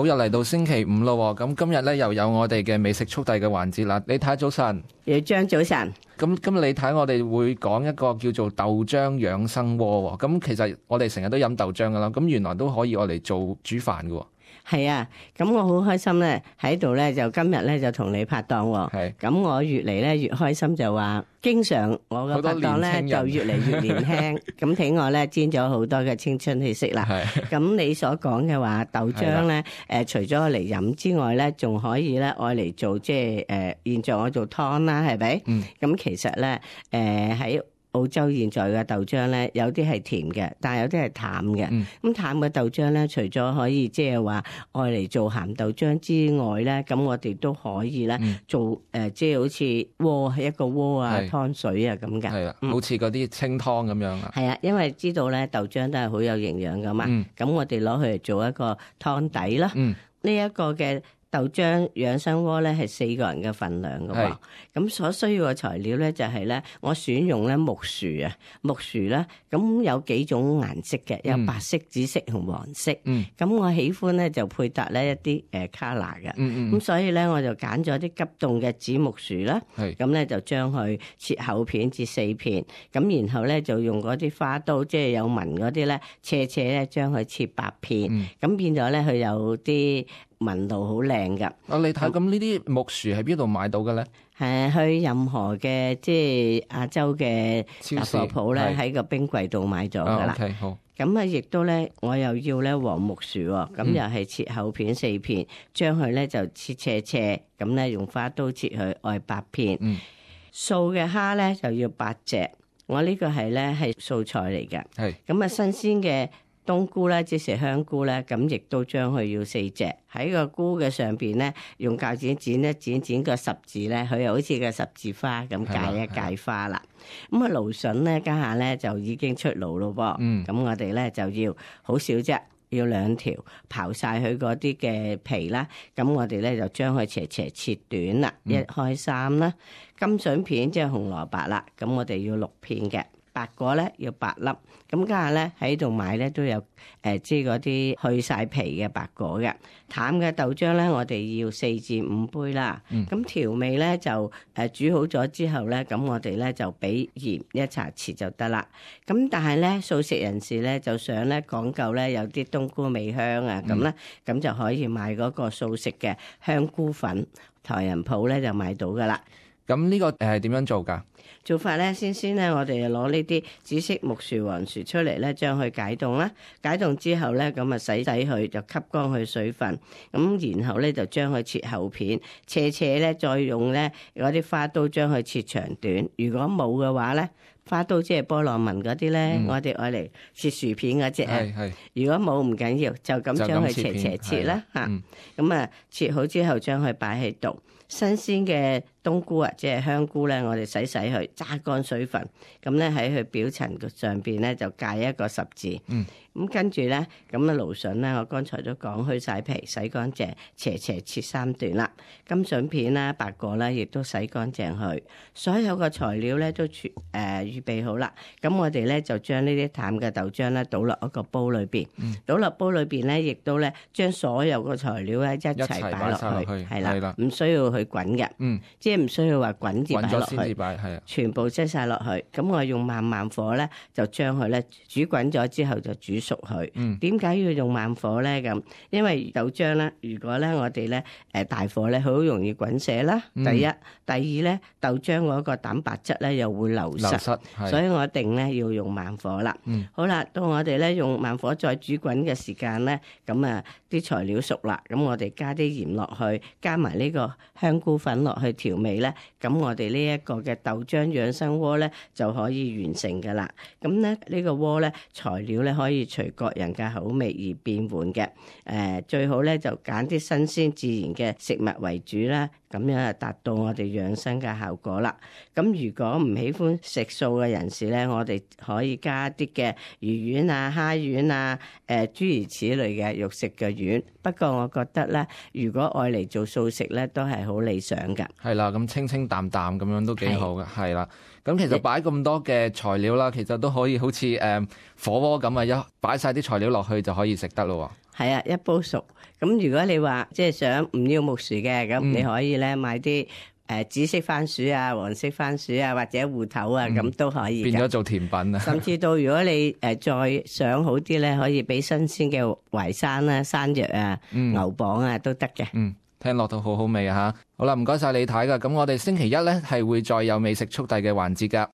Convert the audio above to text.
好，又嚟到星期五咯，咁今日咧又有我哋嘅美食速遞嘅環節啦。李太早晨，姚張早晨。咁今日李太我哋會講一個叫做豆漿養生鍋。咁其實我哋成日都飲豆漿噶啦，咁原來都可以我嚟做煮飯噶。係啊，咁我好開心咧，喺度咧就今日咧就同你拍檔喎。係，咁我越嚟咧越開心，就話經常我嘅拍檔咧就越嚟越年輕，咁睇我咧沾咗好多嘅青春氣息啦。係，咁你所講嘅話豆漿咧，除咗嚟飲之外咧，仲可以咧愛嚟做即係現在我做湯啦，係咪？咁其實咧喺澳洲現在嘅豆漿咧，有啲係甜嘅，但係有啲係淡嘅。咁淡嘅豆漿咧，除咗可以即係話愛嚟做鹹豆漿之外咧，咁我哋都可以咧做即係好似鍋一個鍋啊、湯水啊咁嘅。係啊，好似嗰啲清湯咁樣啊。係啊，因為知道咧豆漿都係好有營養噶嘛。咁我哋攞佢嚟做一個湯底啦。呢一個嘅豆漿養生鍋咧係4個人嘅份量嘅喎，咁所需要嘅材料咧就係咧，我選用咧木薯啊，木薯咧咁有幾種顏色嘅，有白色、紫色同黃色。咁我喜歡咧就配搭咧一啲color嘅，咁所以咧我就揀咗啲急凍嘅紫木薯啦，咁咧就將佢切厚片至4片，咁然後咧就用嗰啲花刀，即係有紋嗰啲咧，斜咧將佢切8片，咁變咗咧佢有啲紋路好靚噶。你睇咁呢啲木薯喺邊度買到嘅咧？去任何嘅即係亞洲嘅雜貨鋪咧，喺個冰櫃度買咗噶啦。好。咁啊，亦都咧，我又要咧黃木薯喎，咁又係切厚片4片，將佢咧就切斜，咁咧用花刀切佢愛8片。素嘅蝦咧就要8隻，我呢個係咧係素菜嚟嘅。係。咁啊，新鮮嘅冬菇咧，即係香菇咧，咁亦都將佢要4隻，喺個菇嘅上邊咧，用鉸剪剪個十字咧，佢又好似個十字花咁界一界花啦。咁啊，蘆筍咧家下咧就已經出爐咯噃。咁我哋咧就要好少啫，要2條，刨晒佢嗰啲嘅皮啦。咁我哋咧就將佢斜切短啦，1開3啦。金筍片即係紅蘿蔔啦，咁我哋要6片嘅。白果咧要8粒，咁家下咧喺度買咧都有即係嗰啲去晒皮嘅白果嘅。淡嘅豆漿咧，我哋要4至5杯啦。咁調味咧就煮好咗之後咧，咁我哋咧就俾鹽1茶匙就得啦。咁但係咧素食人士咧就想咧講究咧有啲冬菇味香啊，咁咧咁就可以買嗰個素食嘅香菇粉，台人鋪咧就買到噶啦。咁呢個係點樣做㗎？做法咧，先咧，我哋攞呢啲紫色木薯、黃薯出嚟咧，將佢解凍啦。解凍之後咧，咁啊洗佢，就吸乾佢水分。咁然後咧就將佢切厚片，斜咧再用咧嗰啲花刀將佢切長短。如果冇嘅話咧，花刀即係波浪紋嗰啲咧，我哋愛嚟切薯片嗰隻啊。如果冇唔緊要，就咁將佢斜切啦嚇。咁啊切好之後，將佢擺喺度。新鮮嘅冬菇啊，即係香菇咧，我哋洗佢，揸乾水分，咁咧喺佢表層上邊咧就界一個十字。咁跟住咧，咁啊蘆筍咧，我剛才都講去晒皮，洗乾淨，斜切3段啦。金筍片啦、白果啦，亦都洗乾淨去。所有嘅材料咧都預備好啦。咁我哋咧就將呢啲淡嘅豆漿咧倒落一個煲裏邊，倒落煲裏邊咧，亦都咧將所有嘅材料咧一齊擺落去，係啦，唔需要去滾嘅，即係唔需要話滾至擺落去，全部擠晒落去。咁我用慢火咧，就將佢咧煮滾咗之後就煮熟佢。點解要用慢火咧？咁因為豆漿咧，如果咧我哋咧大火咧，好容易滾瀉啦。第一，第二咧豆漿嗰個蛋白質咧又會流失，所以我一定咧要用慢火啦。好啦，到我哋咧用慢火再煮滾嘅時間咧，咁啊啲材料熟啦，咁我哋加啲鹽落去，加埋呢個香菇粉落去調味咧，咁我哋呢一個嘅豆漿養生鍋咧就可以完成噶啦。咁咧呢個鍋咧材料咧可以隨個人嘅口味而變換嘅。最好咧就揀啲新鮮自然嘅食物為主啦，咁樣就達到我哋養生嘅效果啦。咁如果唔喜歡食素嘅人士咧，我哋可以加啲嘅魚丸啊、蝦丸啊、諸如此類嘅肉食嘅丸。不過我覺得咧，如果愛嚟做素食咧，都係好理想㗎。係啦，咁清清淡淡咁樣都幾好嘅，係啦。咁其實擺咁多嘅材料啦，其實都可以好似火鍋咁啊，一擺晒啲材料落去就可以食得咯喎。係啊，一煲熟。咁如果你話即係想唔要木薯嘅，咁你可以咧買啲紫色番薯啊、黃色番薯啊，或者芋頭啊，咁都可以。變咗做甜品啊！甚至到如果你再想好啲咧，可以俾新鮮嘅淮山啦、山藥啊、牛蒡啊都得嘅。聽落都好好味啊！吓，好啦，唔該晒李太噶。咁我哋星期一咧係會再有美食速遞嘅環節噶。